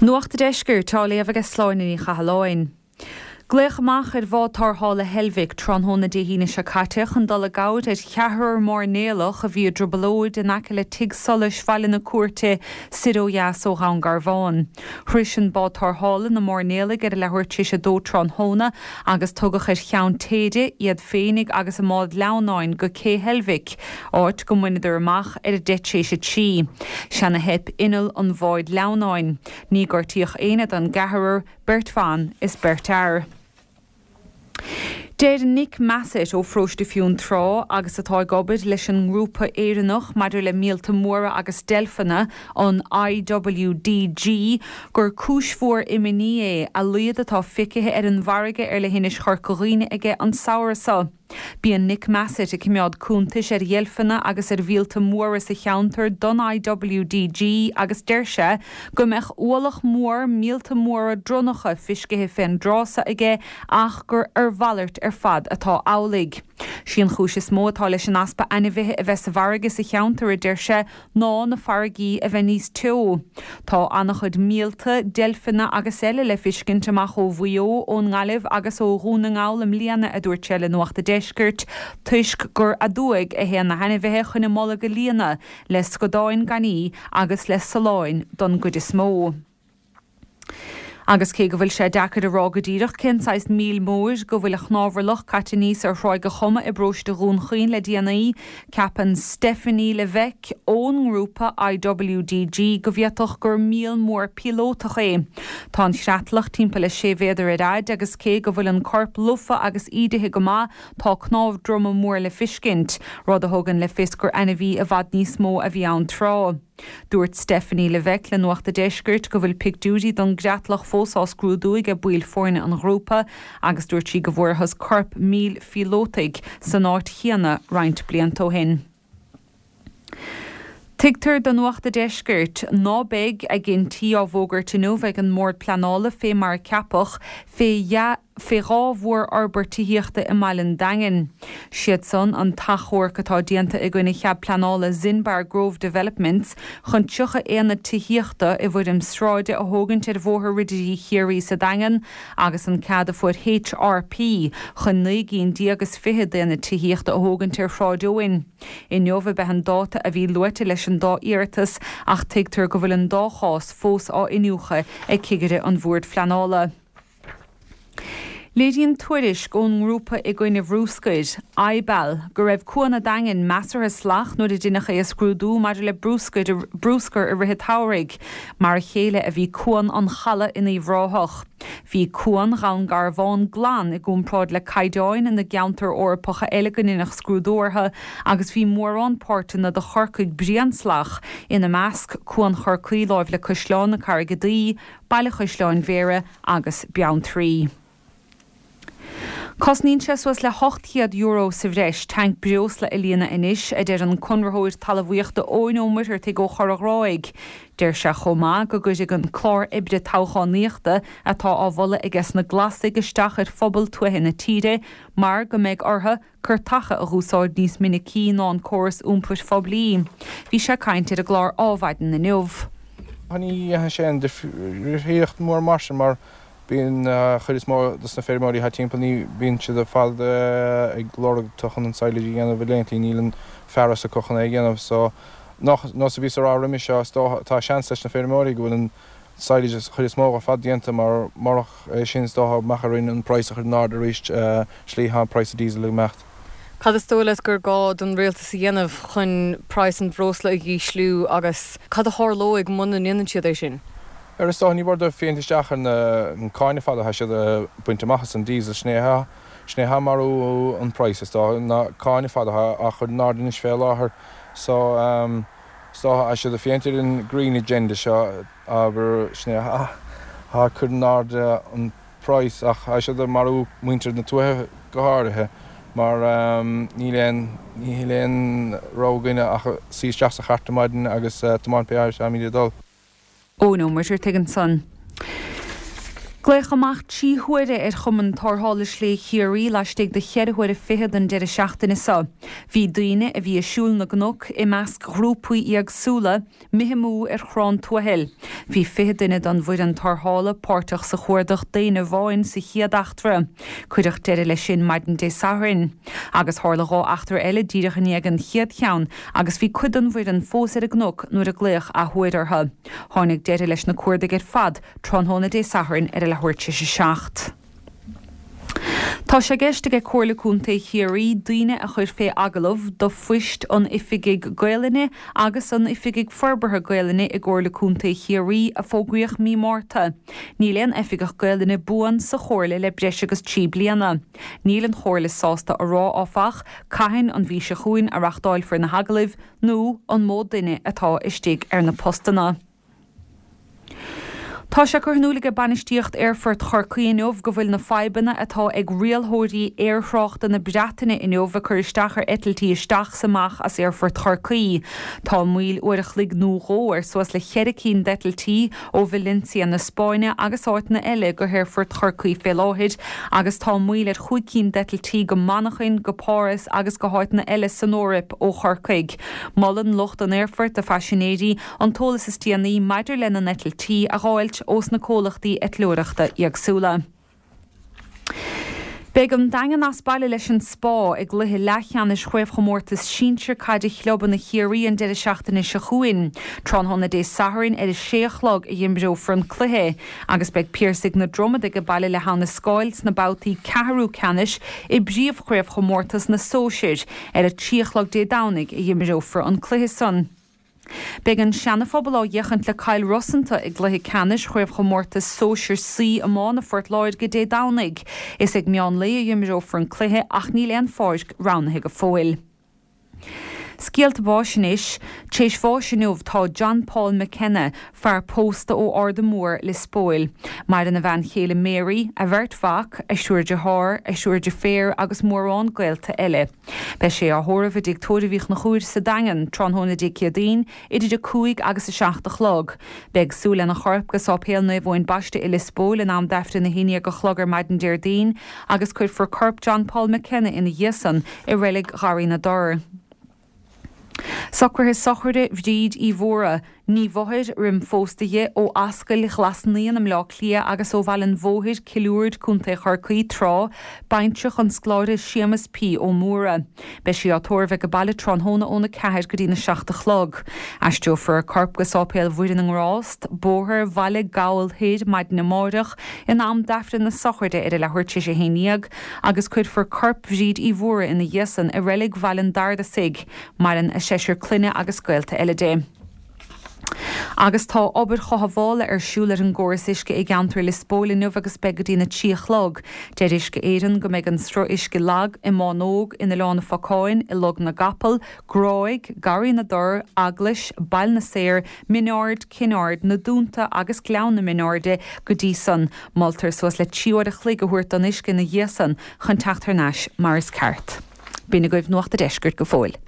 Nuacht a' Deiscirt á léamh aige Sláine Ní Chathalláin. Glaodh amach ar bhád tarrthála Heilbhic tráthnóna Dé hAoine seo caite chun dul i gcabhair ar cheathrar mairnéalach a bhí i dtrioblóid in aice le Tigh Solais Bhaile na Cúirte soir ó dheas ó Dhún Garbhán. Shrois an bád tarrthála na mairnéalaigh ar a leathuair tar éis a dó tráthnóna agus tugadh ar cheann téide iad féinig agus a mbád leamhnáin go Cé Heilbhic, áit go mbaineadar amach ar a deich tar éis a trí. Se'an a theip inneall an bháid leamhnáin. Ní gortaíodh éinne den gceathrar. beirt bhan is beirt fhear. Deir Nick Massett ó Pharóiste Fionntrá agus atá ag obair leis an ngrúpa Éireannach maidir le míolta móra agus deilfeanna, an IWDG, gur cúis mhór imní é a laghad atá feicthe ar an bhfarraige ar le hInis Chorca Dhuibhne aige an samhradh seo. Bíonn Nick Massett ag coimeád cuntais ar dheilfeanna agus ar mhíolta móra sa cheantar don IWDG agus deir sé go mbeadh ualach mór míolta móra dronnacha feiscithe fén dtráth so aige ach gur ar mhalairt ar fad atá amhlaidh. Sí an chúis is mó atá leis an easpa ainmhithe a bheith sa bhfarraige sa cheantar, a deir sé, ná na farraigí a bheith níos teo. Tá an-chuid míolta, deilfeanna agus eile le fiscint amach ó Mhaigh Eo, ón nGaillimh agus ó Dhún na nGall i mbliana, a dúirt sé le Nuacht a' Deiscirt, toisc gur aduaidh a théann na hainmhithe chun a mbolg a líonadh le scadáin gainní agus le saláin don gcuid is mó. Agus cé go bhfuil sé deacair a rá go díreach cén saghas míl móir go bhfuil a chnámharlach caite aníos ar Thráigh a' Choma i bparóiste Dhún Chaoin le déanaí, ceapann Stephanie Levesque ón ngrúpa IWDG go bhféadfadh gur míol mór píolótach é. Tá an chreatlach timpeall le sé mhéadar ar fhaid agus cé go bhfuil an corp lofa agus ídithe go maith, tá cnámh droma mór le fiscint, rud a thugann le fios gur ainmhí i bhfad níos mó a bhí ann tráth. Dúirt Stephanie Levesque le Nuacht a' Deiscirt go bhfuil pictiúirí don gcreatlach fós á scrúdú aige baill foirne an ghrúpa agus dúirt sí go bhfuarthas corp míl phíolótaigh san áit chéanna roinnt blianta ó shin. Tuigtear do Nuacht a' Deiscirt ná beidh a gcinntí á bhfógairt inniu ag an mBord Pleanála fé mar a ceapadh fé fé dhá mhórfhorbairt tithíochta i mbaile an Daingin. Siad san an t-achomharc atá déanta i gcoinne chead pleanála Zinbar Grove Developments chun 30 aonad tithíochta i bhfoirm sráide a thógaint ar Bhóthar Ridirí Chiarraí sa Daingean agus an cead a fuair HRP chun 19 gcinn is fichead d'aonaid tithíochta a thógaint ar Shráid Eoin. Inniu ab ea an dáta a bhí luaite leis an dá iarratas ach tuigtear go bhfuil an dá chás fós á iniúchadh ag cigire an Bhoird Phleanála. Léiríonn tuairisc ón ngrúpa i gcoinne bhrúscair, IBAL, go raibh Cuan a' Daingin measartha salach nuair a deineadh é a scrúdú maidir le brúscar i rith an tsamhraidh. Mar a chéile a bhí Cuan an Chalaidh in Uíbh Ráthach. Bhí Cuan Dhún Garbhán glan i gcomparáid le caighdeáin na gceantar Eorpacha eile go ndeineadh scrúdú orthu agus bhí mórán páirteanna de Chorcaigh bréan salach, ina measc, Cuan Chorcaí láimh le Caisleán na Carraige Duí, Baile Chaisleáin Bhéarra agus Beanntraí. Cosnaíonn sé suas le €800 sa bhreis tanc breosla a líonadh anois, a deir an conraitheoir talmhaíochta Eoin Ó Muircheartaigh ó Chorr a' Ghráig. Deir sé chomh maith go gcuirfidh an clár oibre toghchánaíochta atá á mholadh aige sna Glasaigh isteach ar phobal tuaithe na tíre mar go mbeidh orthu cairteacha a dh'úsáid níos minicí ná an córas iompair phoiblí. Bhí sé ag caint ar an gclár Ádhmhaidin inniu. Ní dhéanfaidh sé aon difríocht mhór mar sin mar bíonn chuid is mó dos na feirmeoirí atá timpeall ní bíonn siad ar fad ag lorg tu chun an silage a dhéanamh i laethantaí níl an fearas acu chun é a dhéanamh so nós a bhíos a rá roimhe seo is dócha tá seans leis na feirmeoirí go bhfuil an silage an chuid is mó ar fad déanta mar murach é sin is dócha mbeadh orainn an praghas a chur in airde arís slí tá an praghas diesel ag imeacht. Cad is dóigh leat gur gá don rialtas a dhéanamh chun praghas an bhreosla a dhísliú agus cad a tharlóidh muna ndéanann siad é sin? Ar is dócha ní mór dóibh féachaint isteach ar na cáin ar fad atá siad ag baint amach as an diesel sin é atá sin é atá ag marú an praghas is dócha na cáin ar fad atá á chur in airde anois fé láthair so Is dócha tá siad ag féachaint ar an Green Agenda seo, abair, sin é atá ag cur in airde an praghas ach tá siad ag marú muintir na tuaithe go háirithe mar níl aon, níl aon rogha againne ach suí isteach sa chairt ar maidin agus tiomáint pé áit atáimid ag dul. Eoin Ó Muircheartaigh ansan. Glaodh amach 3 huaire ar Chumann Tarrthála Slé Chiarraí laistigh de cheithre huaire fichead an deireadh seachtaine seo. Bhí daoine a bhí ag siúl na gcnoc i measc ghrúpaí éagsúla imithe amú ar Chrann Tuathail. Bhí 20 duine den bhfoireann tarrthála páirteach sa chuardach d'aon amháin sa chéad eachtra. Cuireadh deireadh leis sin maidin Dé Sathairn. Agus tharla 2 eachtra eile díreach i ndiaidh an chéad cheann agus bhí cuid den bhfoireann fós ar an gcnoc nuair a glaodh athuair orthu. Tháinig deireadh leis na cuardaigh ar fad tráthnóna Dé Sathairn ar a leathuair tar éis 7. Tá sé i gceist aige Comhairle Contae Chiarraí daoine a chur fé agallamh do phoist an Oifigigh Gaolainne agus an Oifigigh Forbartha Gaolainne i gComhairle Contae Chiarraí a fógraíodh mí Márta. Níl aon Oifigeach Gaolainne buan sa Chomhairle le breis agus 3 bliana. Níl an Chomhairle sásta a rá, áfach, cathain an mhí seo chugainn a reachtáilfear na hagallaimh nó an mó duine atá istigh ar na postanna. Tá sé curtha in iúl aige bainistíocht Aerfort Chorcaí inniu go bhfuil na fadhbanna atá ag rialthóirí aerthráchta na Breataine inniu ag cur isteach ar eitiltí isteach 's amach as Aerfort Chorcaí. Tá moill uair a chloig nó dhó ar suas le cheithre cinn d'eitiltí ó Valencia na Spáinne agus áiteanna eile go hAerfort Chorcaí fé láthair agus tá moill ar chúig cinn d'eitiltí go Manchain, go Páras agus go háiteanna eile san Eoraip ó Chorcaigh. Molann lucht an aerfoirt do phaisinéirí an t-eolas is déanaí maidir lena n-eitiltí a dh'fháilt ós na comhlachtaí eitleoireachta éagsúla. Beidh an Daingean as baile leis an Spá i gcluiche leathcheannais Chraobhchomórtas Sinsir Caide Chlubanna Chiarraí an deireadh seachtaine seo chugainn. Tráthnóna Dé Sathairn ar a sé a chlog a dh'imreofar an cluiche agus beidh Piarsaigh na Dromad age baile le hAbha na Scáil sna babhtaí ceathrú ceannais i bPríomhchraobhchomórtas na Sóisir ar a trí a chlog Dé Domhnaigh a dh'imreofar an cluiche san. Beidh an Seana-Phobal á bhféachaint le Cill Rosanta i gcluiche ceannais Chraobhchomórtas Sóisir C Iomána Phort Láirge Dé Domhnaigh. Is ag meán lae a dh'imreofar an cluiche ach níl aon pháirc roghnaithe go fóill. Scéalta báis anois. T'éis bháis inniu tá John Paul McKenna, fear pósta ó Arda Mór, Lios Póil. Maireann a bhean chéile Mary, a bheirt mhac, a thriúr dearthár, a thriúr deirféar agus mórán gaolta eile. Beidh sé á thórramh i dTigh Tórraimh Uí Chonchúir sa Daingean, tráthnóna Dé Céadaoin, idir 5 agus 7 a chlog. Beidh siúl lena chorp go Sáipéal Naomh Eoin Baiste i Lios Póil in am d'Aifreann 11 a chlog ar maidin Déardaoin agus cuirfear corp John Paul McKenna ina dhiaidh san i Reilig Gharraí na dTor. Socruithe sochraide Bhríd Uí Mhórdha, Ní Mhothair, roim phósta dhi, ó Ascaill Ghlas Naíon i mBleá Cliath agus ó Bhaile an Bhóthair, Cill Uird, Co. Chorcaí, tráth, baintreach an scoláire Séamus P. Ó Mórdha. Beidh sí á tórramh age baile tráthnóna óna 4 go dtína 7 a chlog. Aistreofar a corp go Sáipéal Mhuire na nGrást, Bóthar Bhaile Gabhal Thoir maidin amáireach in am d'Aifreann na sochraide ar a leathuair tar éis a haon dhéag agus cuirfear corp Bhríd Uí Mhórdha ina dhiaidh san i reilig Bhaile an Dardasaigh. Maireann a seisear clainne agus gaolta eile di. Agus tá obair chothabhála ar siúl ar an gcóras uisce i gceantar Lios Póil inniu agus beidh go dtína 3 a chlog. Deir Uisce Éireann go mbeidh an sruth uisce lag i mBánóg, in Oileán an Phocáin, i Log na gCapall, Gráig, Garraí na dTor, Eaglais, Baile na Saor, Min Aird, Cinn Aird, Na Dúnta agus Gleann na Mionairde go dtí san. Moltar suas le 3 uair a chloig a thabhairt don uisce ina dhiaidh san chun teacht thar n-ais mar is ceart. B'in agaibh Nuacht a' Deiscirt go fóill.